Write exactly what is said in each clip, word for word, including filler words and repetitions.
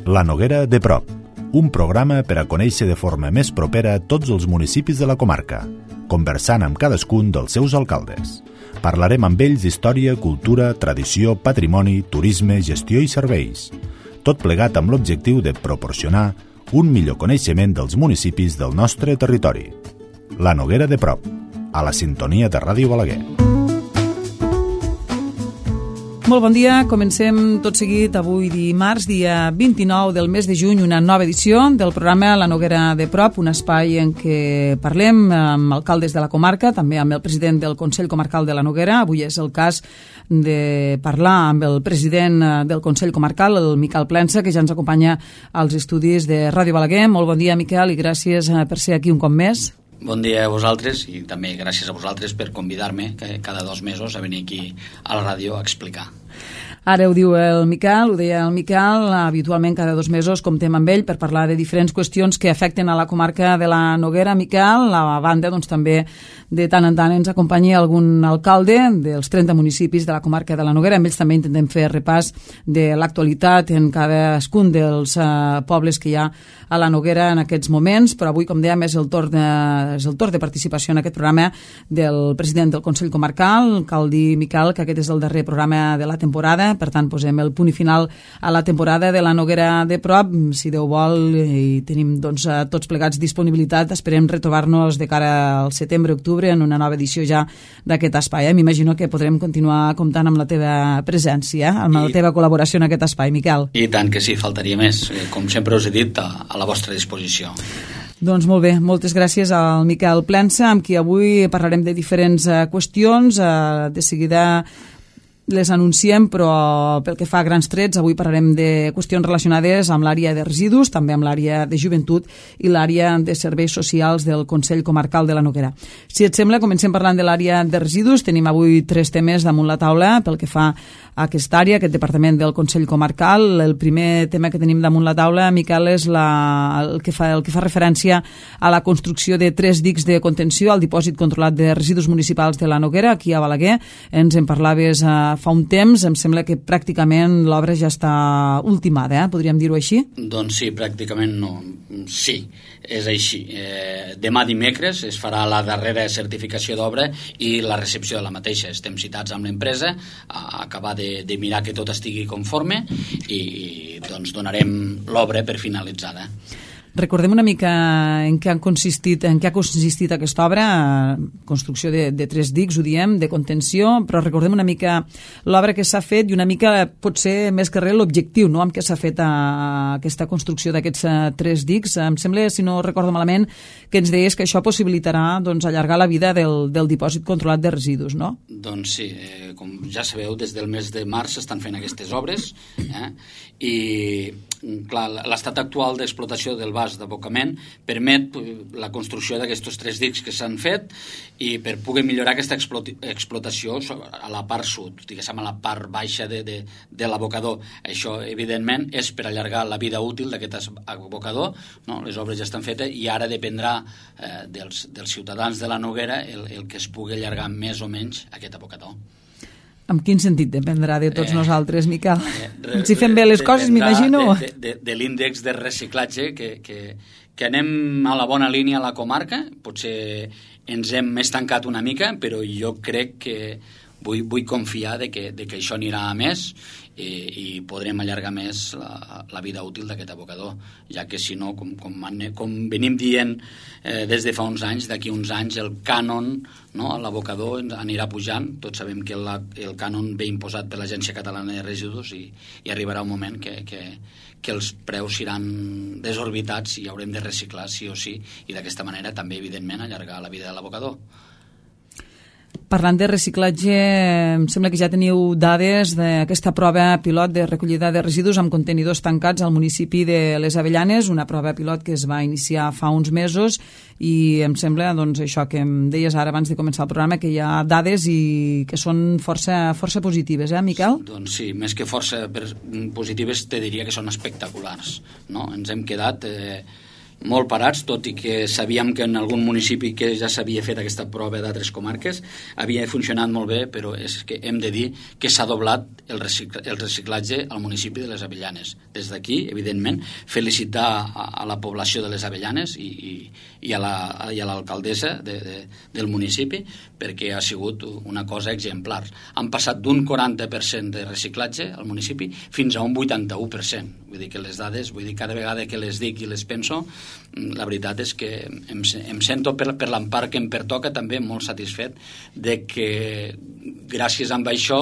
La Noguera de prop, un programa per a conèixer de forma més propera tots els municipis de la comarca, conversant amb cadascun dels seus alcaldes. Parlarem amb ells d'història, cultura, tradició, patrimoni, turisme, gestió i serveis. Tot plegat amb l'objectiu de proporcionar un millor coneixement dels municipis del nostre territori. La Noguera de prop, a la sintonia de Ràdio Balaguer. Molt bon dia, comencem tot seguit avui dimarts, dia vint-i-nou del mes de juny, una nova edició del programa La Noguera de prop, un espai en què parlem amb alcaldes de la comarca, també amb el president del Consell Comarcal de la Noguera. Avui és el cas de parlar amb el president del Consell Comarcal, el Miquel Plensa, que ja ens acompanya als estudis de Ràdio Balaguer. Molt bon dia, Miquel, i gràcies per ser aquí un cop més. Bon dia a vosaltres i també gràcies a vosaltres per convidar-me cada dos mesos a venir aquí a la ràdio a explicar. Ara ho diu el Miquel, ho deia el Miquel, habitualment cada dos mesos comptem amb ell per parlar de diferents qüestions que afecten a la comarca de la Noguera. Miquel, a banda, doncs, també de tant en tant ens acompanya algun alcalde dels trenta municipis de la comarca de la Noguera. Amb ells també intentem fer repàs de l'actualitat en cadascun dels uh, pobles que hi ha a la Noguera en aquests moments, però avui, com dèiem, és el torn de, és el torn de participació en aquest programa del president del Consell Comarcal. Cal dir, Miquel, que aquest és el darrer programa de la temporada, per tant posem el punt i final a la temporada de la Noguera de prop. Si Déu vol i tenim doncs, tots plegats disponibilitat, esperem retrobar-nos de cara al setembre-octubre en una nova edició ja d'aquest espai. Eh? M'imagino que podrem continuar comptant amb la teva presència, amb I, la teva col·laboració en aquest espai, Miquel. I tant que sí, faltaria més. Com sempre us he dit, a, a la vostra disposició. Doncs molt bé, moltes gràcies al Miquel Plensa, amb qui avui parlarem de diferents uh, qüestions. Uh, de seguida les anunciem, però pel que fa a grans trets, avui parlarem de qüestions relacionades amb l'àrea de residus, també amb l'àrea de joventut i l'àrea de serveis socials del Consell Comarcal de la Noguera. Si et sembla, comencem parlant de l'àrea de residus. Tenim avui tres temes damunt la taula pel que fa a aquesta àrea, aquest departament del Consell Comarcal. El primer tema que tenim damunt la taula, Miquel, és la, el, que fa, el que fa referència a la construcció de tres dics de contenció al dipòsit controlat de residus municipals de la Noguera, aquí a Balaguer. Ens en parlaves a fa un temps, em sembla que pràcticament l'obra ja està ultimada, eh? Podríem dir-ho així? Doncs sí, pràcticament no. Sí, és així. Eh, demà dimecres es farà la darrera certificació d'obra i la recepció de la mateixa. Estem citats amb l'empresa a acabar de, de mirar que tot estigui conforme i, i doncs donarem l'obra per finalitzada. Recordem una mica en què han consistit, en què ha consistit aquesta obra, construcció de, de tres dics, ho diem, de contenció, però recordem una mica l'obra que s'ha fet i una mica, potser més que res, l'objectiu, no?, amb què s'ha fet a, a aquesta construcció d'aquests a, tres dics. Em sembla, si no recordo malament, que ens deies que això possibilitarà doncs, allargar la vida del, del dipòsit controlat de residus, no? Doncs sí, eh, com ja sabeu, des del mes de març s'estan fent aquestes obres, eh, i clar, l'estat actual d'explotació del vas d'abocament permet la construcció d'aquests tres dics que s'han fet i per poder millorar aquesta explotació a la part sud, diguéssim a la part baixa de, de, de l'abocador. Això, evidentment, és per allargar la vida útil d'aquest abocador, no? Les obres ja estan fetes i ara dependrà eh, dels, dels ciutadans de la Noguera el, el que es pugui allargar més o menys aquest abocador. En quin sentit dependrà de tots eh, nosaltres, Miquel? Eh, si fem bé les coses, m'imagino. De, de, de l'índex de reciclatge, que, que, que anem a la bona línia a la comarca. Potser ens hem estancat una mica, però jo crec que vull, vull confiar de que, de que això anirà a més i, i podrem allargar més la, la vida útil d'aquest abocador, ja que si no, com, com, com venim dient eh, des de fa uns anys, d'aquí uns anys el cànon, no, a l'abocador anirà pujant. Tots sabem que la, el cànon ve imposat per l'Agència Catalana de Residus i, i arribarà un moment que, que, que els preus seran desorbitats i haurem de reciclar sí o sí i d'aquesta manera també, evidentment, allargar la vida de l'abocador. Parlant de reciclatge, em sembla que ja teniu dades d'aquesta prova pilot de recollida de residus amb contenidors tancats al municipi de Les Avellanes, una prova pilot que es va iniciar fa uns mesos i em sembla, doncs, això que em deies ara abans de començar el programa, que hi ha dades i que són força, força positives, eh, Miquel? Doncs sí, més que força positives te diria que són espectaculars, no? Ens hem quedat... Eh, molt parats, tot i que sabíem que en algun municipi que ja s'havia fet aquesta prova d'altres comarques havia funcionat molt bé, però és que hem de dir que s'ha doblat el, recicl el reciclatge al municipi de les Avellanes. Des d'aquí, evidentment, felicitar a, a la població de les Avellanes i, i, i a l'alcaldessa la, de, de, del municipi, perquè ha sigut una cosa exemplar. Han passat d'un quaranta per cent de reciclatge al municipi fins a un vuitanta-u per cent. Vull dir que les dades, vull dir, cada vegada que les dic i les penso, la veritat és que em, em sento per, per l'empart que em pertoca també molt satisfet de que gràcies a això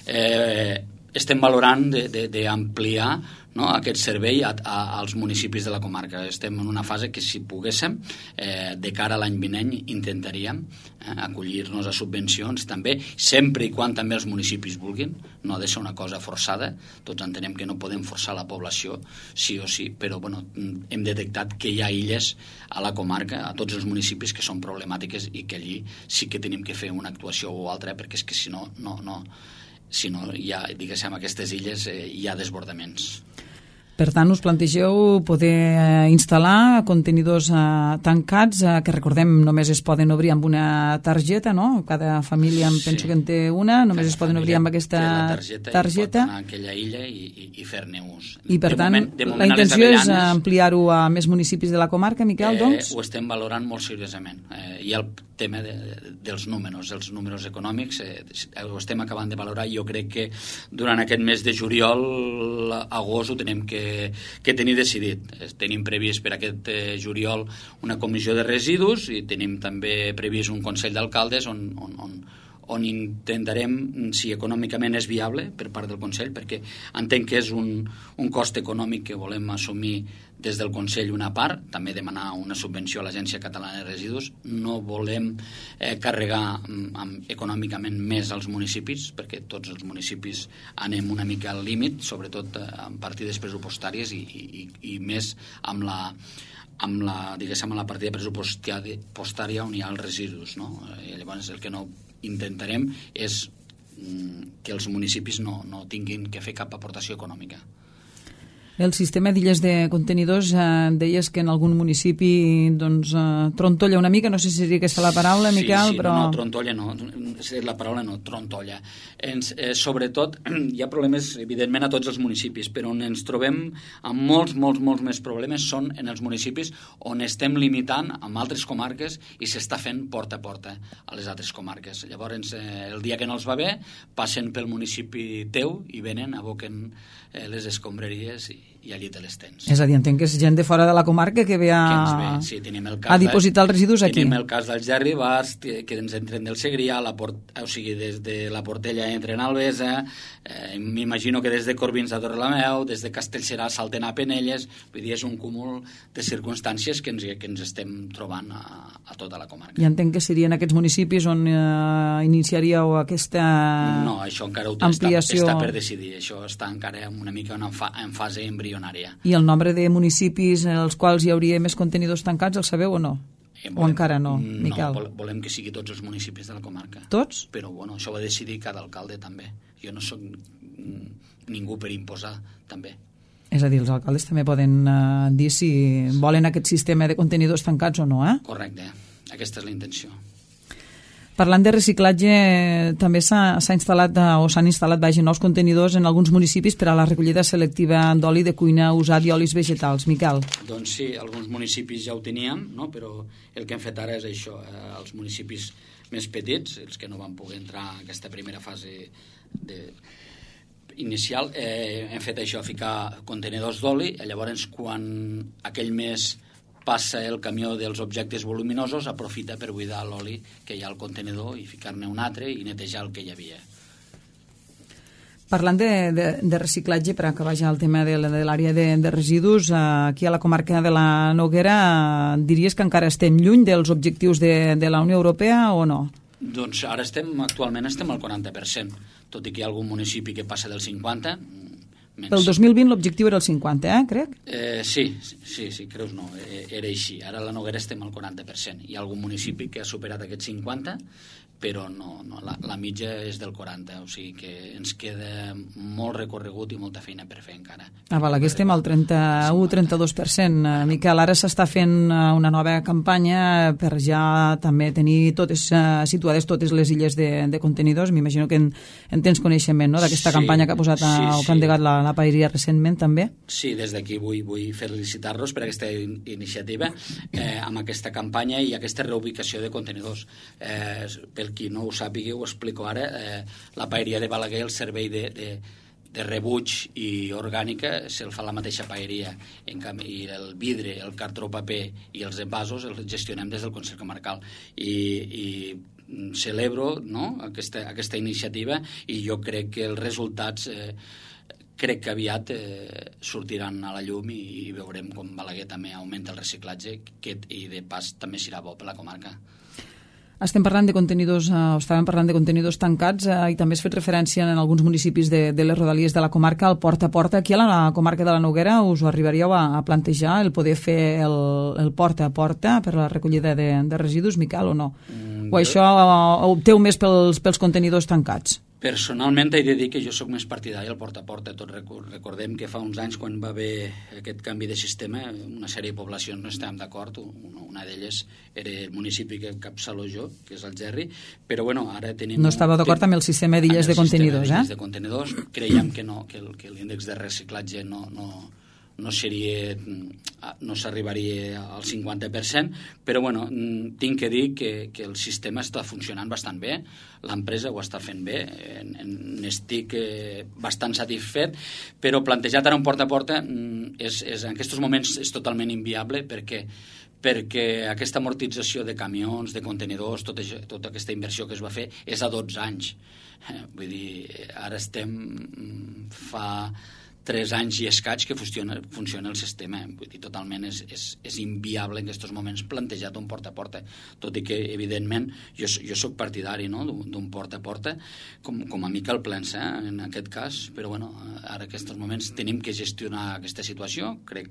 eh, estem valorant d'ampliar, no, aquest servei a, a, als municipis de la comarca. Estem en una fase que, si poguéssim, eh, de cara a l'any vinent intentaríem eh, acollir-nos a subvencions també, sempre i quan també els municipis vulguin. No ha de ser una cosa forçada. Tots entenem que no podem forçar la població sí o sí, però bueno, hem detectat que hi ha illes a la comarca, a tots els municipis, que són problemàtiques i que allí sí que tenim que fer una actuació o altra, perquè és que si no, no, no si no hi ha, diguéssim, aquestes illes eh, hi ha desbordaments. Per tant, us plantegeu poder instal·lar contenidors eh, tancats, eh, que recordem només es poden obrir amb una targeta, no? Cada família em sí. penso que en té una, només Cada es poden obrir amb aquesta targeta, targeta. I pot anar a aquella illa i, i, i fer-ne ús. I per de tant, moment, moment, la intenció és ampliar-ho a més municipis de la comarca, Miquel, eh, doncs? Ho estem valorant molt seriosament. Eh, hi ha el tema de, dels números, els números econòmics, eh, ho estem acabant de valorar. Jo crec que durant aquest mes de juliol, agost, ho tenim que que tenim decidit. Tenim previst per aquest eh, juliol una comissió de residus i tenim també previst un Consell d'Alcaldes on, on, on, on intentarem, si econòmicament és viable per part del Consell, perquè entenc que és un, un cost econòmic que volem assumir des del Consell una part, també demanar una subvenció a l'Agència Catalana de Residus. No volem eh, carregar amb, econòmicament més als municipis, perquè tots els municipis anem una mica al límit, sobretot eh, amb partides pressupostàries i, i, i més amb la amb la, diguéssim, amb la partida pressupostària on hi ha els residus, no? I llavors el que no intentarem és mm, que els municipis no, no tinguin que fer cap aportació econòmica. El sistema d'illes de contenidors, eh, deies que en algun municipi doncs, eh, trontolla una mica, no sé si seria aquesta la paraula, Miquel, sí, sí, però... no, no, trontolla no, la paraula no, trontolla. Ens, eh, sobretot, hi ha problemes, evidentment, a tots els municipis, però on ens trobem amb molts, molts, molts més problemes són en els municipis on estem limitant amb altres comarques i s'està fent porta a porta a les altres comarques. Llavors, eh, el dia que no els va bé, passen pel municipi teu i venen, aboquen eh, les escombraries i i allí te les tens. És a dir, entenc que és gent de fora de la comarca que ve a, que ens ve. Sí, tenim el cas a dipositar els residus aquí. Tenim el cas dels Gerribars, que ens entren del Segrià, la port, o sigui, des de la Portella entren a Albesa, eh, m'imagino que des de Corbins a Torrelameu, des de Castellserà salten a Penelles, vull dir, és un cúmul de circumstàncies que ens, que ens estem trobant a, a tota la comarca. I entenc que serien aquests municipis on eh, iniciaríeu aquesta no, això encara ho ampliació... està, està per decidir, això està encara una mica en, fa, en fase embrionària. I el nombre de municipis en els quals hi hauria més contenidors tancats, el sabeu o no? Eh, volem, o encara no, Miquel? No, volem que sigui tots els municipis de la comarca. Tots? Però bueno, això ho ha de decidir cada alcalde també. Jo no soc ningú per imposar també. És a dir, els alcaldes també poden uh, dir si volen aquest sistema de contenidors tancats o no, eh? Correcte, aquesta és la intenció. Parlant de reciclatge, també s'ha instal·lat o s'han instal·lat vaja, nous contenidors en alguns municipis per a la recollida selectiva d'oli de cuina usat i olis vegetals. Miquel. Doncs sí, alguns municipis ja ho teníem, no? Però el que hem fet ara és això, eh, els municipis més petits, els que no van poder entrar en aquesta primera fase de... inicial, eh, hem fet això, ficar contenidors d'oli, i llavors quan aquell mes passa el camió dels objectes voluminosos, aprofita per buidar l'oli que hi ha al contenidor i ficar-ne un altre i netejar el que hi havia. Parlant de, de, de reciclatge, per acabar ja el tema de, de l'àrea de, de residus, aquí a la comarca de la Noguera, diries que encara estem lluny dels objectius de, de la Unió Europea o no? Doncs ara estem, actualment estem al quaranta per cent, tot i que hi ha algun municipi que passa del cinquanta per cent. Menys. Pel dos mil vint l'objectiu era el cinquanta, eh, crec? Eh, sí, sí, sí, creus no, era així. Ara a la Noguera estem al quaranta per cent. Hi ha algun municipi que ha superat aquest cinquanta, però no, no la, la mitja és del quaranta, o sigui que ens queda molt recorregut i molta feina per fer encara. A Balaguer estem al trenta-u trenta-dos per cent. Miquel, ara s'està fent una nova campanya per ja també tenir totes situades totes les illes de, de contenidors. M'imagino que en, en tens coneixement, no?, d'aquesta sí, campanya que ha posat a, sí, o que ha endegat la, la paeria recentment també. Sí, des d'aquí vull, vull felicitar-los per aquesta in iniciativa eh, amb aquesta campanya i aquesta reubicació de contenidors. Eh, pel qui no ho sàpiga, ho explico ara, eh, la paeria de Balaguer, el servei de, de, de rebuig i orgànica se'l fa la mateixa paeria, en canvi, i el vidre, el cartró paper i els envasos els gestionem des del Consell Comarcal i, i celebro, no?, aquesta, aquesta iniciativa, i jo crec que els resultats eh, crec que aviat eh, sortiran a la llum i, i veurem com Balaguer també augmenta el reciclatge, que, i de pas també serà bo per la comarca. Estem parlant de contenidors, eh, estàvem parlant de contenidors tancats eh, i també has fet referència en alguns municipis de, de les rodalies de la comarca al porta a porta. Aquí a la comarca de la Noguera us ho arribaríeu a, a plantejar, el poder fer el, el porta a porta per la recollida de, de residus, Miquel, o no? Mm, o això ho opteu més pels, pels contenidors tancats? Personalment he de dir que jo sóc més partidari al porta a porta. Tot recordem que fa uns anys, quan va haver aquest canvi de sistema, una sèrie de poblacions no estàvem d'acord. Una d'elles era el municipi que encapçalo jo, que és Algerri, però bueno, ara tenim... No estava d'acord amb el sistema d'illes de contenidors, eh? de contenidors. Creiem que no, que l'índex de reciclatge no... no no seria, no s'arribaria al cinquanta per cent, però bueno, tinc que dir que, que el sistema està funcionant bastant bé, l'empresa ho està fent bé, n'estic bastant satisfet, però plantejat ara un porta a porta és, és, en aquests moments és totalment inviable perquè perquè aquesta amortització de camions, de contenidors, tota, tota aquesta inversió que es va fer és a dotze anys. Vull dir, ara estem fa tres anys i escaig que funciona, funciona el sistema. Vull dir, totalment és, és, és inviable en aquests moments plantejat un porta a porta, tot i que, evidentment, jo, jo soc partidari, no?, d'un porta a porta, com, com a Miquel Plensa, eh, en aquest cas, però bueno, ara en aquests moments tenim que gestionar aquesta situació, crec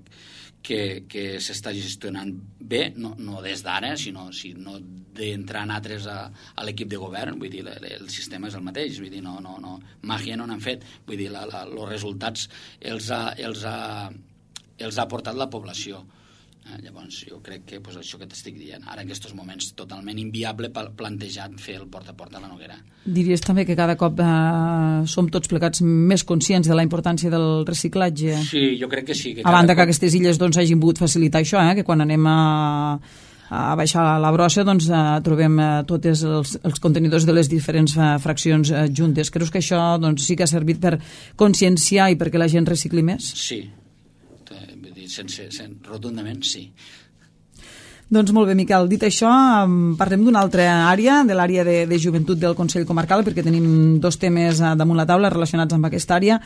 que, que s'està gestionant bé, no, no des d'ara, sinó, sinó d'entrar en altres a, a l'equip de govern. Vull dir, el, el sistema és el mateix, vull dir, no, no, no, màgia no n'han fet, vull dir, la, la, els resultats els ha, els, ha, els ha portat la població. Eh, llavors, jo crec que pues, això que t'estic dient, ara en aquests moments totalment inviable plantejat fer el porta a porta a la Noguera. Diries també que cada cop eh, som tots plegats més conscients de la importància del reciclatge? Sí, jo crec que sí. Que a banda cop... que aquestes illes doncs, hagin pogut facilitar això, eh, que quan anem a... a baixar la brossa doncs, eh, trobem eh, tots els, els contenidors de les diferents eh, fraccions eh, juntes. Creus que això doncs, sí que ha servit per conscienciar i perquè la gent recicli més? Sí, vull dir, sense, sense, rotundament sí. Doncs molt bé, Miquel. Dit això, parlem d'una altra àrea, de l'àrea de, de joventut del Consell Comarcal, perquè tenim dos temes damunt la taula relacionats amb aquesta àrea.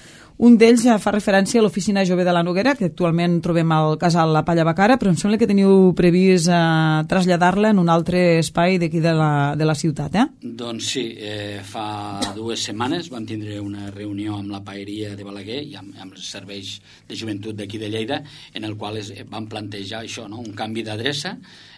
Un d'ells fa referència a l'Oficina Jove de la Noguera, que actualment trobem al casal La Palla Bacara, però em sembla que teniu previst eh, traslladar-la en un altre espai d'aquí de, la, de la ciutat, eh? Doncs sí, eh, fa dues setmanes vam tindre una reunió amb la paeria de Balaguer i amb, amb els serveis de joventut d'aquí de Lleida, en el qual es, vam plantejar això, no?, un canvi d'adreça,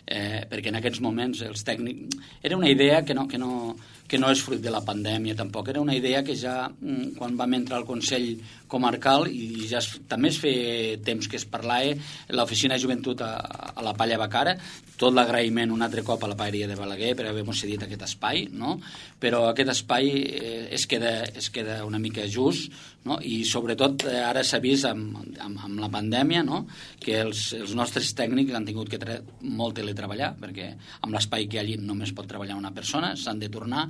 eh, perquè en aquests moments els tècnics... Era una idea que no, que no, que no és fruit de la pandèmia tampoc, era una idea que ja quan vam entrar al Consell Comarcal i ja es, també es feia temps que es parlava l'Oficina de Joventut a, a la Palla Bacara, tot l'agraïment un altre cop a la paeria de Balaguer per haver-nos cedit aquest espai, no? Però aquest espai eh, es, queda, es queda una mica just, no? I sobretot eh, ara s'ha vist amb, amb, amb la pandèmia, no?, que els, els nostres tècnics han tingut que tre molt teletreballar, perquè amb l'espai que allí només pot treballar una persona, s'han de tornar,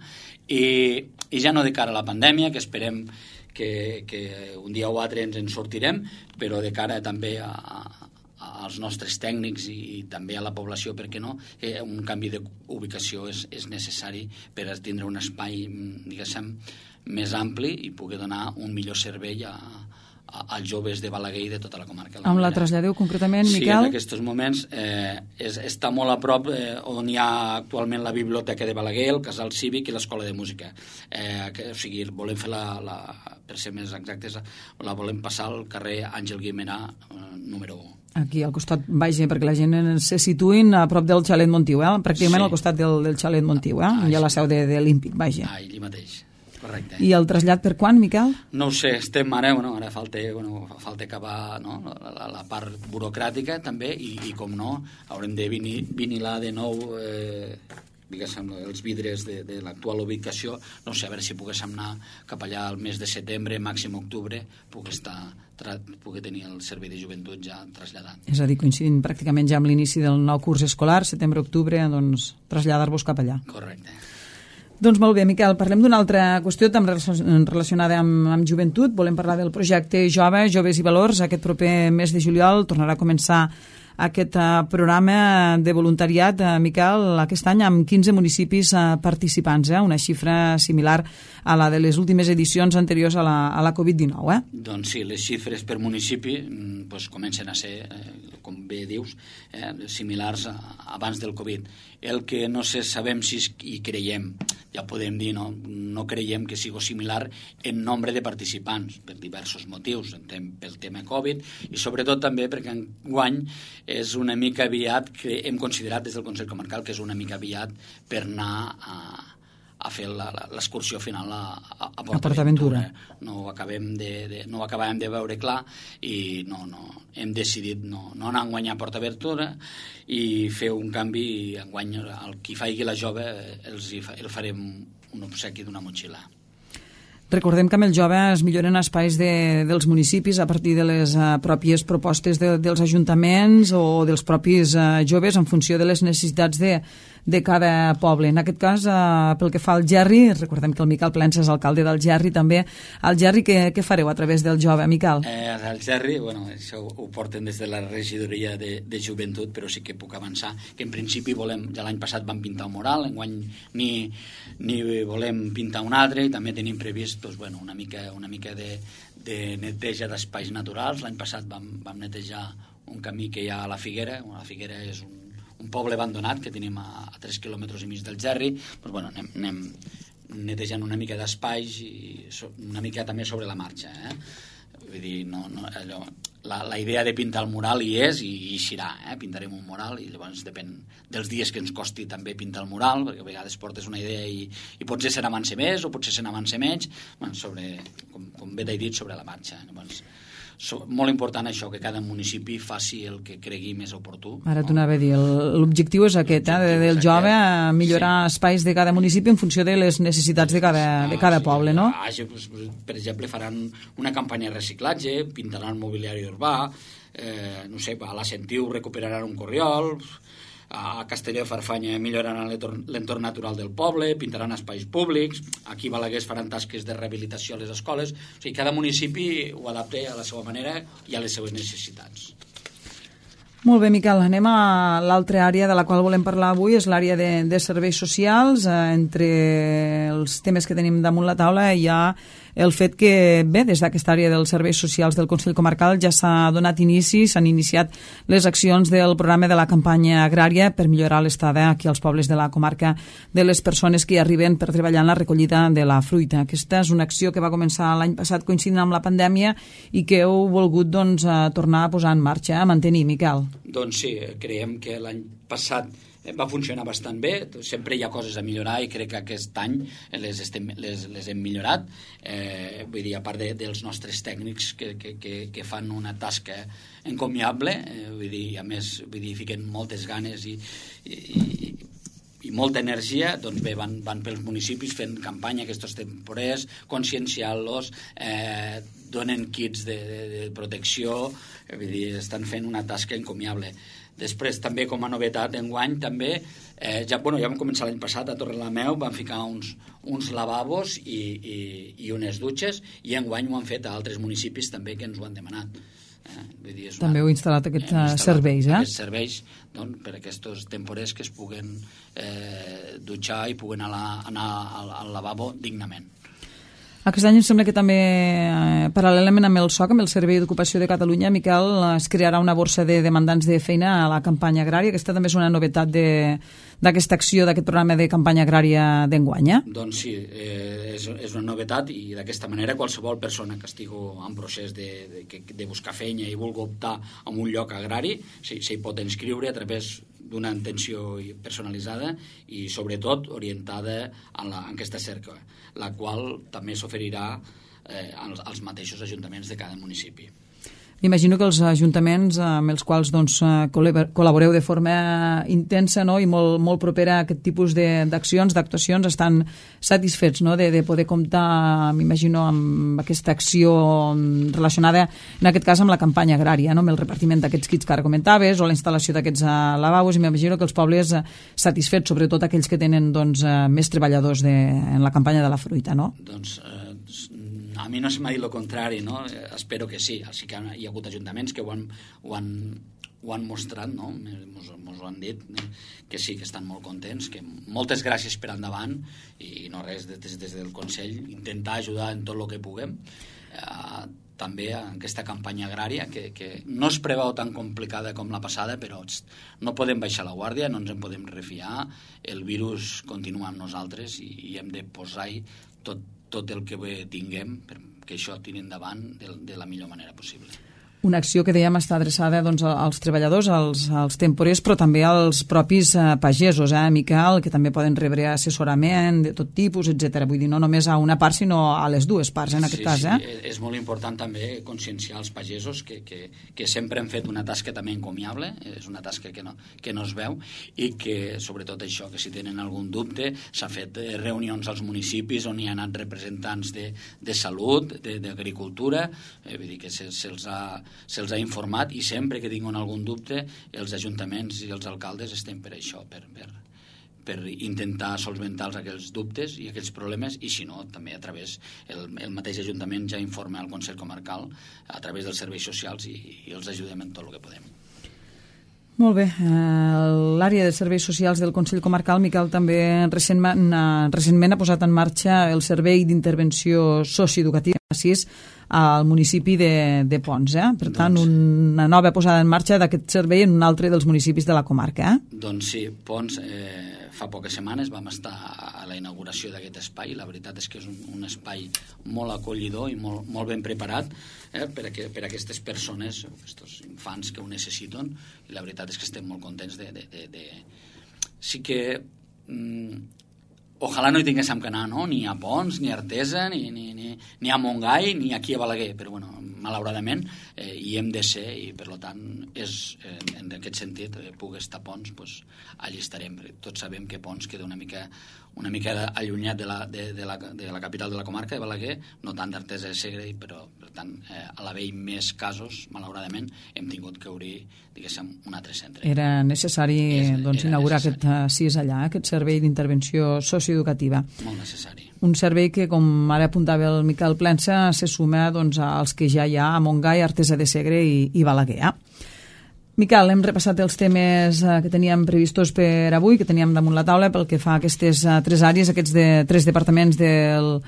i, i ja no de cara a la pandèmia, que esperem que, que un dia o altre ens en sortirem, però de cara també a, a, als nostres tècnics i, i també a la població, perquè no, eh, un canvi d'ubicació és, és necessari per a tindre un espai, diguéssim, més ampli i poder donar un millor servei a, a, als joves de Balaguer i de tota la comarca. Amb la traslladeu concretament, Miquel? Sí, en aquests moments eh, és, està molt a prop eh, on hi ha actualment la biblioteca de Balaguer, el casal cívic i l'escola de música. Eh, que, o sigui, volem fer la, la, per ser més exactes, la volem passar al carrer Àngel Guimerà, eh, número u. Aquí al costat, vaja, perquè la gent se situïn a prop del xalet Montiu, eh? Pràcticament Sí. al costat del, del xalet Montiu, eh? Ah, Hi ha la sí. seu de, de l'Ímpic, vaja. Ah, allí mateix, correcte. I el trasllat per quan, Miquel? No ho sé, estem ara, bueno, ara falta, bueno, falta acabar, no? la, la, la part burocràtica també i, i com no, haurem de vinil, vinilar de nou eh, diguéssim, els vidres de, de l'actual ubicació. No sé, a veure si poguéssim anar cap allà al mes de setembre, màxim octubre, puc estar, tra, puc tenir el servei de joventut ja traslladat. És a dir, coincidint pràcticament ja amb l'inici del nou curs escolar, setembre-octubre, doncs traslladar-vos cap allà. Correcte. Doncs molt bé, Miquel, parlem d'una altra qüestió també relacionada amb, amb joventut. Volem parlar del projecte Jove, Joves i Valors. Aquest proper mes de juliol tornarà a començar aquest uh, programa de voluntariat, uh, Miquel, aquest any amb quinze municipis uh, participants, eh? Una xifra similar a la de les últimes edicions anteriors a la, a la covid dinou. Eh? Doncs sí, les xifres per municipi pues, comencen a ser, eh, com bé dius, eh, similars a, abans del Covid. El que no sé, sabem si i creiem, ja podem dir, no, no creiem que sigui similar en nombre de participants, per diversos motius, pel tema Covid, i sobretot també perquè enguany és una mica aviat, que hem considerat des del Consell Comarcal que és una mica aviat per anar a, a fer l'excursió final a, a, a PortAventura. No ho acabem de, de, no ho acabàvem de veure clar i no, no, hem decidit no, no anar a enguanyar a PortAventura i fer un canvi i enguany el qui faci la jove els, el farem un obsequi d'una motxilla. Recordem que amb el Jove es milloren espais de, dels municipis a partir de les uh, pròpies propostes de, dels ajuntaments o dels propis uh, joves en funció de les necessitats de, de cada poble. En aquest cas, uh, pel que fa al Gerri, recordem que el Miquel Plensa és alcalde del Gerri també. Al Gerri, què, què fareu a través del Jove, Miquel? Eh, al Gerri, bueno, això ho porten des de la regidoria de, de joventut, però sí que puc avançar que en principi volem, ja l'any passat vam pintar un mural, enguany ni, ni volem pintar un altre i també tenim previst doncs, bueno, una mica, una mica de, de neteja d'espais naturals. L'any passat vam, vam netejar un camí que hi ha a la Figuera. La Figuera és un, un poble abandonat que tenim a, a tres quilòmetres i mig del Gerri. Doncs, bueno, anem, anem netejant una mica d'espais i so, una mica també sobre la marxa. Eh? Vull dir, no, no, allò, la, la idea de pintar el mural hi és i hi serà, eh? Pintarem un mural i llavors depèn dels dies que ens costi també pintar el mural, perquè a vegades portes una idea i, i potser se n'avança més o potser se n'avança menys, bueno, sobre, com, com bé t'he dit, sobre la marxa. Llavors, so, molt important això, que cada municipi faci el que cregui més oportú. Ara t'ho anava a dir, l'objectiu és aquest, eh, del Jove, millorar sí. espais de cada municipi en funció de les necessitats de cada, ah, de cada sí. poble, no? Ah, per exemple, faran una campanya de reciclatge, pintaran mobiliari urbà, eh, no sé, a la Sentiu recuperaran un corriol, a Castelló de Farfanya milloraran l'entorn natural del poble, pintaran espais públics, aquí a Balaguer faran tasques de rehabilitació a les escoles. O sigui, cada municipi ho adapta a la seva manera i a les seves necessitats. Molt bé, Miquel, anem a l'altra àrea de la qual volem parlar avui, és l'àrea de, de serveis socials. Eh, entre els temes que tenim damunt la taula hi ha el fet que, bé, des d'aquesta àrea dels serveis socials del Consell Comarcal ja s'ha donat inici, s'han iniciat les accions del programa de la campanya agrària per millorar l'estada aquí als pobles de la comarca de les persones que hi arriben per treballar en la recollida de la fruita. Aquesta és una acció que va començar l'any passat coincidint amb la pandèmia i que heu volgut doncs, tornar a posar en marxa, a mantenir, Miquel. Doncs sí, creiem que l'any passat va funcionar bastant bé, sempre hi ha coses a millorar i crec que aquest any les, estem, les, les hem millorat, eh, vull dir, a part de, dels nostres tècnics que, que, que, que fan una tasca encomiable, eh, vull dir, a més, vull dir, fiquen moltes ganes i, i, i, i molta energia, doncs bé, van, van pels municipis fent campanya aquests temporers, conscienciant-los, eh, donen kits de, de, de protecció, eh, vull dir, estan fent una tasca encomiable. Després, també, com a novetat d'enguany, també, eh, ja, bueno, ja vam començar l'any passat a Torrelameu, vam ficar uns, uns lavabos i, i, i unes dutxes, i enguany ho han fet a altres municipis també que ens ho han demanat. Eh? Vull dir, és una, també heu instal·lat aquests instal·lat serveis, eh? Aquests serveis, doncs, per aquests temporers que es puguen eh, dutxar i puguen anar, anar al, al lavabo dignament. Aquest any em sembla que també, eh, paral·lelament amb el S O C, amb el Servei d'Ocupació de Catalunya, Miquel, es crearà una borsa de demandants de feina a la campanya agrària. Aquesta també és una novetat d'aquesta acció, d'aquest programa de campanya agrària d'enguany. Eh? Doncs sí, eh, és, és una novetat i d'aquesta manera qualsevol persona que estigui en procés de, de, de buscar feina i vulgui optar a un lloc agrari s'hi sí, pot inscriure a través d'una atenció personalitzada i sobretot orientada en, la, en aquesta cerca, la qual també s'oferirà eh, als, als mateixos ajuntaments de cada municipi. Imagino que els ajuntaments amb els quals doncs, col·laboreu de forma intensa, no? I molt, molt propera a aquest tipus d'accions, d'actuacions, estan satisfets, no? de, de poder comptar, m'imagino, amb aquesta acció relacionada, en aquest cas, amb la campanya agrària, no? Amb el repartiment d'aquests kits que ara comentaves o la instal·lació d'aquests lavabos, i m'imagino que els pobles satisfets, sobretot aquells que tenen doncs, més treballadors de, en la campanya de la fruita, no? Doncs eh, a mi no se m'ha dit el contrari, no? Espero que sí. Sí que hi ha hagut ajuntaments que ho han, ho han, ho han mostrat, no? Mos, mos ho han dit, que sí, que estan molt contents, que moltes gràcies per endavant i no res, des, des del Consell, intentar ajudar en tot el que puguem. Eh, també en aquesta campanya agrària, que, que no es preveu tan complicada com la passada, però no podem baixar la guàrdia, no ens en podem refiar, el virus continua amb nosaltres i, i hem de posar-hi tot, tot el que tinguem perquè això tiri endavant de, de la millor manera possible. Una acció que dèiem està adreçada doncs, als treballadors, als, als temporers, però també als propis eh, pagesos, eh, Miquel, que també poden rebre assessorament de tot tipus, etcètera. Vull dir, no només a una part, sinó a les dues parts, en aquest sí, cas. Sí, eh? és molt important també conscienciar els pagesos que, que, que sempre han fet una tasca també encomiable, és una tasca que no, que no es veu, i que, sobretot això, que si tenen algun dubte, s'ha fet reunions als municipis on hi ha anat representants de, de salut, d'agricultura, eh, vull dir que se, se'ls ha se'ls ha informat i sempre que tinguin algun dubte els ajuntaments i els alcaldes estem per això, per, per, per intentar solventar aquells dubtes i aquells problemes, i si no, també a través, el, el mateix ajuntament ja informa al Consell Comarcal a través dels serveis socials i, i els ajudem en tot el que podem. Molt bé. L'àrea de serveis socials del Consell Comarcal, Miquel, també recentment, recentment ha posat en marxa el Servei d'Intervenció Socioeducativa sis al municipi de, de Ponts. Eh? Per tant, doncs, una nova posada en marxa d'aquest servei en un altre dels municipis de la comarca. Eh? Doncs sí, Ponts, eh, fa poques setmanes vam estar a la inauguració d'aquest espai. La veritat és que és un, un espai molt acollidor i molt, molt ben preparat eh, per, a que, per a aquestes persones, aquests infants que ho necessiten, i la veritat és que estem molt contents de... de, de, de... Sí que... Mm, ojalà no hi tinguéssim que anar, no? Ni a Ponts, ni a Artesa, ni, ni, ni, ni a Montgai, ni aquí a Balaguer, però bueno, malauradament eh, hi hem de ser i per tant és, eh, en aquest sentit eh, pugui estar a Ponts, pues, allí estarem. Tots sabem que Ponts queda una mica una mica allunyat de la, de, de, la, de la capital de la comarca de Balaguer, no tant d'Artesa de Segre, però per tant eh, a l'haver-hi més casos, malauradament hem tingut que obrir, diguéssim, un altre centre. Era necessari és, doncs, era inaugurar necessari. aquest C I S allà, aquest servei d'intervenció socioeducativa. Molt necessari. Un servei que, com ara apuntava el Miquel Plensa, se suma doncs, als que ja hi ha a Montgai, Artesa de Segre i, i Balaguer. Eh? Miquel, hem repassat els temes eh, que teníem previstos per avui, que teníem damunt la taula pel que fa a aquestes eh, tres àrees, aquests de, tres departaments del,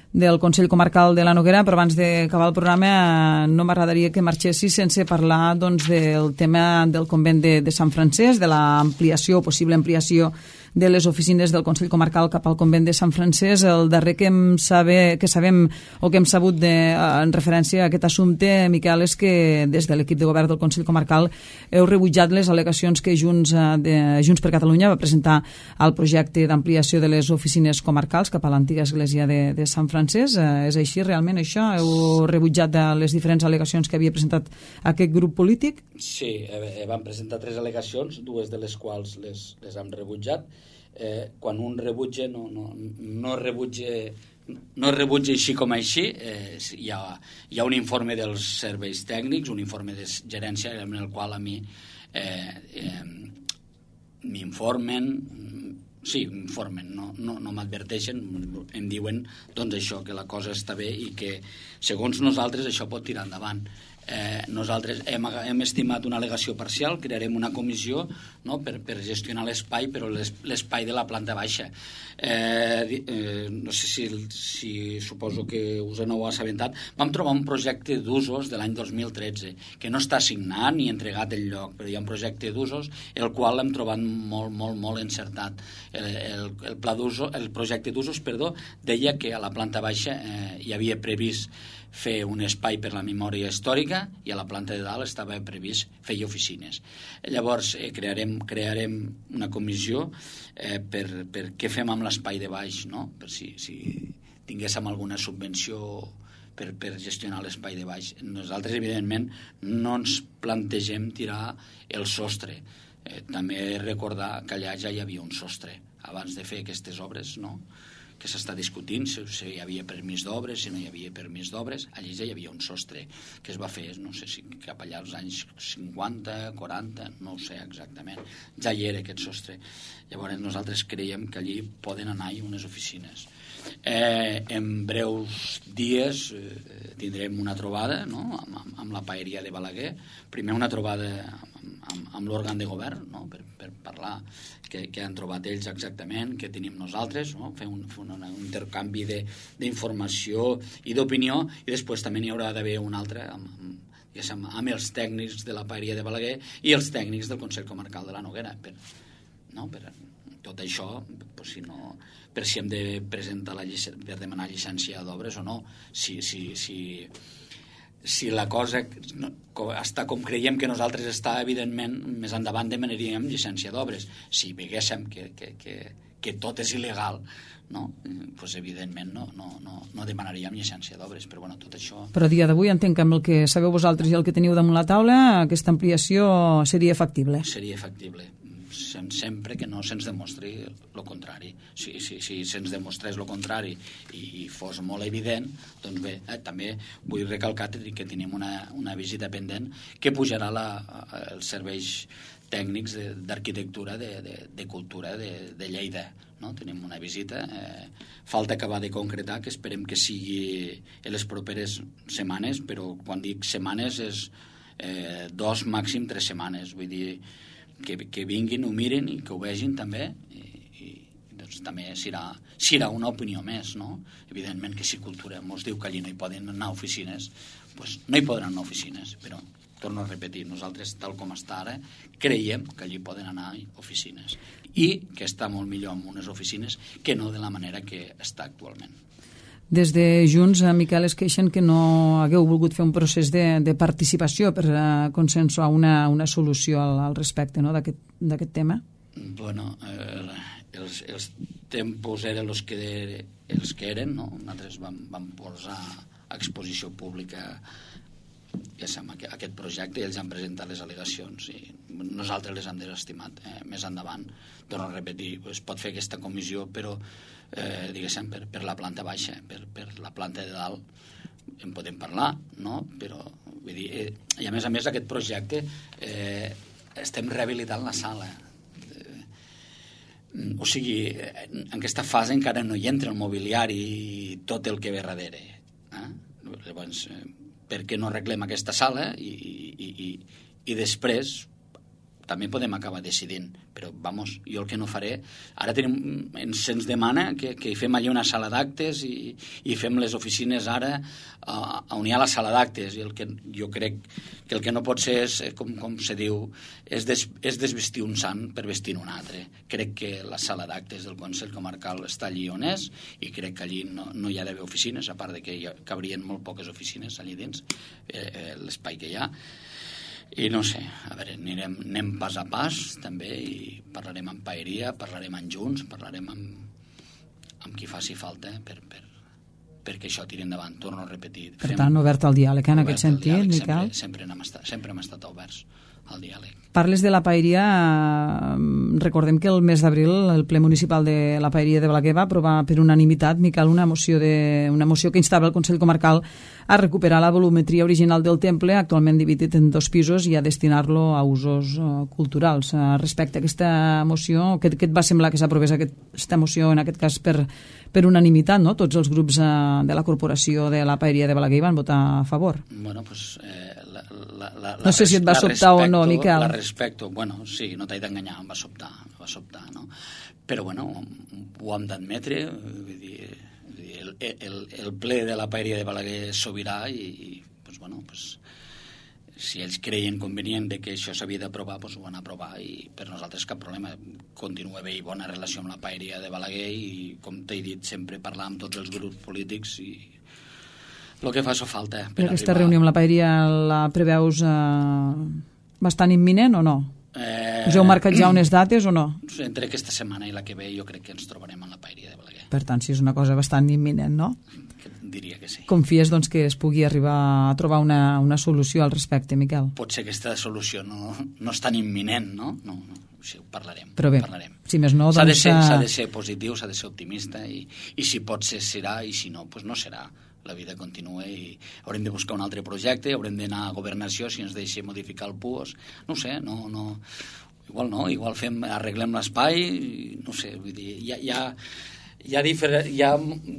del Consell Comarcal de la Noguera, però abans d'acabar el programa eh, no m'agradaria que marxessi sense parlar doncs, del tema del convent de, de Sant Francesc, de l'ampliació, possible ampliació de les oficines del Consell Comarcal cap al convent de Sant Francesc. El darrer que, hem saber, que sabem o que hem sabut de, en referència a aquest assumpte, Miquel, és que des de l'equip de govern del Consell Comarcal heu rebutjat les al·legacions que Junts, de, Junts per Catalunya va presentar al projecte d'ampliació de les oficines comarcals cap a l'antiga església de, de Sant Francesc. És així realment això? Heu rebutjat les diferents al·legacions que havia presentat aquest grup polític? Sí, eh, vam presentar tres al·legacions, dues de les quals les, les hem rebutjat. Eh, quan un rebutja no, no, no rebutja no rebutja així com així, eh, hi, ha, hi ha un informe dels serveis tècnics, un informe de gerència en el qual a mi eh, eh, m'informen, sí, m'informen, no, no, no m'adverteixen, em diuen doncs això, que la cosa està bé i que segons nosaltres això pot tirar endavant. Eh, nosaltres hem, hem estimat una al·legació parcial, crearem una comissió, no?, per, per gestionar l'espai, però l'espai de la planta baixa. Eh, eh, no sé si, si suposo que us n'heu assabentat, vam trobar un projecte d'usos de l'any dos mil tretze, que no està signat ni entregat el lloc, però hi ha un projecte d'usos, el qual l'hem trobat molt, molt, molt encertat. El, el, el, pla d'usos, el projecte d'usos, perdó, deia que a la planta baixa eh, hi havia previst fer un espai per la memòria històrica i a la planta de dalt estava previst fer oficines. Llavors eh, crearem, crearem una comissió eh, per, per què fem amb l'espai de baix, no?, per si, si tinguéssim alguna subvenció per, per gestionar l'espai de baix. Nosaltres, evidentment, no ens plantegem tirar el sostre. Eh, també recordar que allà ja hi havia un sostre abans de fer aquestes obres, no?, que s'està discutint si, si hi havia permís d'obres, si no hi havia permís d'obres. Allí ja hi havia un sostre que es va fer, no sé si cap allà als anys cinquanta, quaranta, no ho sé exactament. Ja hi era aquest sostre. Llavors nosaltres creiem que allí poden anar-hi unes oficines. Eh, en breus dies eh, tindrem una trobada, no?, amb, amb, amb la paeria de Balaguer. Primer una trobada amb, amb, amb l'òrgan de govern, no?, per, per parlar que, que han trobat ells exactament, que tenim nosaltres, no?, fer un, fer un, un intercanvi d'informació i d'opinió, i després també n'hi haurà d'haver un altre amb, amb, diguéssim, amb els tècnics de la paeria de Balaguer i els tècnics del Consell Comarcal de la Noguera, per, no?, per tot això, pues, si no, per si hem de presentar la llicència, per demanar llicència d'obres o no, si, si, si, si la cosa no, està com creiem que nosaltres està, evidentment, més endavant demanaríem llicència d'obres. Si veguéssim que, que, que, que tot és il·legal, no, pues, evidentment no, no, no, no demanaríem llicència d'obres, però bueno, tot això... Però a dia d'avui entenc que amb el que sabeu vosaltres i el que teniu damunt la taula, aquesta ampliació seria factible. Seria factible, sempre que no se'ns demostri el contrari. Si, si, si se'ns demostrés el contrari i, i fos molt evident, doncs bé, eh, també vull recalcar que tenim una, una visita pendent que pujarà la, els serveis tècnics d'arquitectura de, de, de cultura de, de Lleida, no? Tenim una visita, eh, falta acabar de concretar, que esperem que sigui en les properes setmanes, però quan dic setmanes és eh, dos, màxim tres setmanes, vull dir que, que vinguin, ho miren i que ho vegin també, i, i doncs també serà, serà una opinió més, no? Evidentment que si cultura ens diu que allí no hi poden anar oficines, doncs no hi poden anar oficines, però torno a repetir, nosaltres, tal com està ara, creiem que allí poden anar oficines i que està molt millor amb unes oficines que no de la manera que està actualment. Des de Junts, Miquel, es queixen que no hagueu volgut fer un procés de, de participació per uh, consensuar una, una solució al, al respecte, no?, d'aquest tema. Bueno, eh, els, els tempos eren els que, els que eren, no? Nosaltres vam, vam posar a exposició pública ja sap, aquest projecte i ells han presentat les al·legacions i nosaltres les hem desestimat eh, més endavant. Torno a repetir, es pot fer aquesta comissió, però eh, diguéssim, per, per la planta baixa, per, per la planta de dalt en podem parlar, no? Però vull dir, eh, i a més a més aquest projecte eh, estem rehabilitant la sala, eh, o sigui, en aquesta fase encara no hi entra el mobiliari i tot el que ve darrere, eh? Llavors eh, per què no arreglem aquesta sala i, i, i, i després també podem acabar decidint, però vamos, jo el que no faré, ara tenim, ens, ens demana que, que fem allà una sala d'actes i, i fem les oficines ara uh, on hi ha la sala d'actes, i el que jo crec que el que no pot ser és, com, com se diu, és, des, és desvestir un sant per vestir un altre. Crec que la sala d'actes del Consell Comarcal està allí on és i crec que allí no, no hi ha d'haver oficines, a part de que hi cabrien molt poques oficines allí dins, eh, eh, l'espai que hi ha. I no sé, a veure, anirem, anem pas a pas també i parlarem amb paeria, parlarem amb Junts, parlarem amb, amb qui faci falta per, per, perquè això tiri endavant, torno a repetir. Per tant, obert al diàleg, en aquest sentit, diàleg, Miquel? Sempre, sempre, hem estat, sempre hem estat oberts al diàleg. Parles de la paeria, recordem que el mes d'abril el ple municipal de la paeria de Balaguer va aprovar per unanimitat, Miquel, una moció, de, una moció que instava el Consell Comarcal a recuperar la volumetria original del temple, actualment dividit en dos pisos, i a destinar-lo a usos uh, culturals. Uh, respecte a aquesta moció, què, què et va semblar que s'aprovés aquesta moció, en aquest cas per, per unanimitat, no? Tots els grups uh, de la corporació de la paeria de Balaguer van votar a favor. Bueno, pues, eh, la, la, la, no sé si et va sobtar o no, Miquel. La respecto, bueno, sí, no t'he d'enganyar, em va sobtar, em va sobtar, no? Però, bueno, ho hem d'admetre, vull dir, el, el, el ple de la paeria de Balaguer és sobirà i, i pues, bueno, pues, si ells creien convenient de que això s'havia d'aprovar, pues, ho van aprovar i per nosaltres cap problema. Continua bé i bona relació amb la paeria de Balaguer i, com t'he dit, sempre parlar amb tots els grups polítics i el que fa so falta. Per I aquesta arribar... reunió amb la paeria la preveus eh, bastant imminent o no? Eh... Us heu marcat ja unes dates o no? Entre aquesta setmana i la que ve jo crec que ens trobarem en la paeria de Balaguer. Per tant, si és una cosa bastant imminent, no? Diria que sí. Confies doncs, que es pugui arribar a trobar una, una solució al respecte, Miquel? Pot ser que aquesta solució no, no és tan imminent, no? No, no. Sí, ho parlarem. Però bé, parlarem. Si més no, doncs... S'ha de ser, s'ha de ser positiu, s'ha de ser optimista i, i si pot ser, serà, i si no, doncs no serà. La vida continua i haurem de buscar un altre projecte, haurem d'anar a governació si ens deixa modificar el P U O S. No ho sé, no... no igual no, igual fem, arreglem l'espai, no sé, vull dir, hi ha... Hi ha Hi ha, difer... hi ha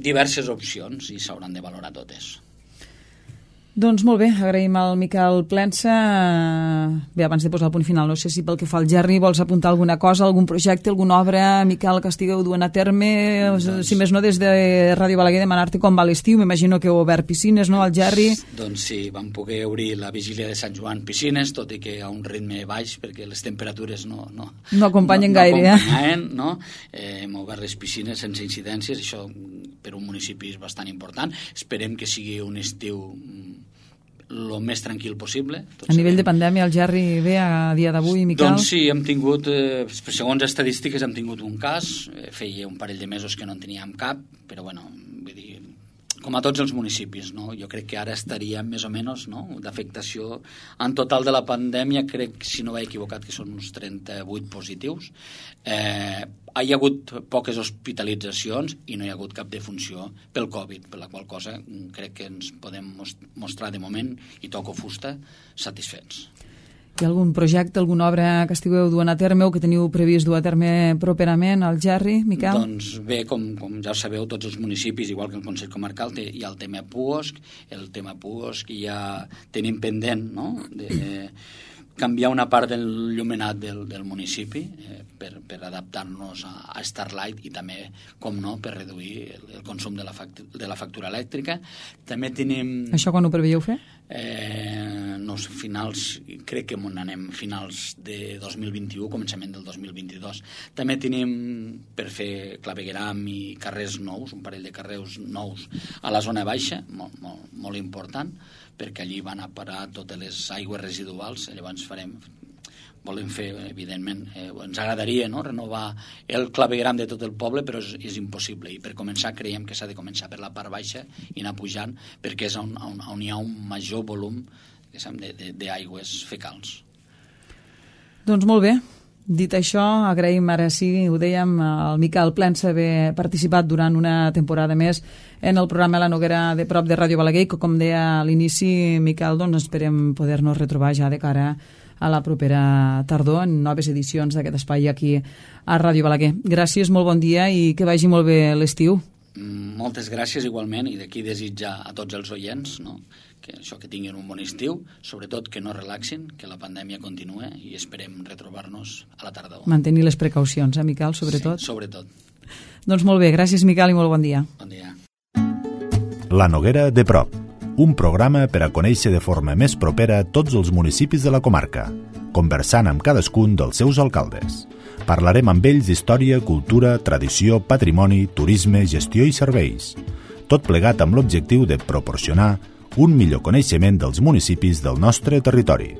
diverses opcions i s'hauran de valorar totes. Doncs molt bé, agraïm al Miquel Plensa. Bé, abans de posar el punt final, no sé si pel que fa al Gerri vols apuntar alguna cosa, algun projecte, alguna obra, Miquel, que estigueu duent a terme, doncs, si més no des de Ràdio Balaguer, demanar-te com va l'estiu. M'imagino que heu obert piscines, no, al Gerri? Doncs sí, vam poder obrir la vigília de Sant Joan piscines, tot i que a un ritme baix, perquè les temperatures no... No, no acompanyen no, gaire, no acompanyen, eh? No? Eh, hem obert les piscines sense incidències, això per un municipi és bastant important. Esperem que sigui un estiu el més tranquil possible. A nivell de pandèmia, el Gerri ve a dia d'avui, Miquel? Doncs sí, hem tingut, eh, segons estadístiques, hem tingut un cas, eh, feia un parell de mesos que no en teníem cap, però bueno, vull dir, com a tots els municipis, no? Jo crec que ara estaria més o menys, no? D'afectació en total de la pandèmia, crec, si no m'he equivocat, que són uns trenta-vuit positius. Eh, hi ha hagut poques hospitalitzacions i no hi ha hagut cap defunció pel Covid, per la qual cosa crec que ens podem mostrar de moment, i toco fusta, satisfets. Hi ha algun projecte, alguna obra que estigueu duent a terme o que teniu previst dur a terme properament al Gerri, Miquel? Doncs bé, com, com ja sabeu, tots els municipis, igual que el Consell Comarcal, té, hi ha el tema P U O S C, el tema P U O S C ja tenim pendent, no?, de... de canviar una part del llumenat del, del municipi eh, per, per adaptar-nos a, a Starlight i també, com no, per reduir el, el consum de la, factura, de la factura elèctrica. També tenim... Això quan ho preveieu fer? Eh, no sé, finals, crec que on anem finals de dos mil vint-i-u, començament del dos mil vint-i-dos. També tenim per fer clavegueram i carrers nous, un parell de carrers nous a la zona baixa, molt, molt, molt important, perquè allí van a parar totes les aigües residuals. Llavors farem, volem fer, evidentment, eh, ens agradaria, no?, renovar el clavegueram de tot el poble, però és, és impossible, i per començar creiem que s'ha de començar per la part baixa i anar pujant, perquè és on, on, on hi ha un major volum d'aigües fecals. Doncs molt bé. Dit això, agraïm ara sí, ho dèiem, al Miquel Plensa haver participat durant una temporada més en el programa La Noguera de prop de Ràdio Balaguer, que com deia a l'inici, Miquel, doncs esperem poder-nos retrobar ja de cara a la propera tardor en noves edicions d'aquest espai aquí a Ràdio Balaguer. Gràcies, molt bon dia i que vagi molt bé l'estiu. Moltes gràcies igualment, i d'aquí desitjar a tots els oients, no?, que això, que tinguin un bon estiu, sobretot que no relaxin, que la pandèmia continua i esperem retrobar-nos a la tardor. Mantenir les precaucions, eh, Miquel, sobretot? Sí, sobretot. Doncs molt bé, gràcies, Miquel, i molt bon dia. Bon dia. La Noguera de prop, un programa per a conèixer de forma més propera tots els municipis de la comarca, conversant amb cadascun dels seus alcaldes. Parlarem amb ells d'història, cultura, tradició, patrimoni, turisme, gestió i serveis. Tot plegat amb l'objectiu de proporcionar un millor coneixement dels municipis del nostre territori.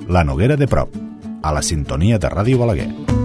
La Noguera de prop, a la sintonia de Ràdio Balaguer.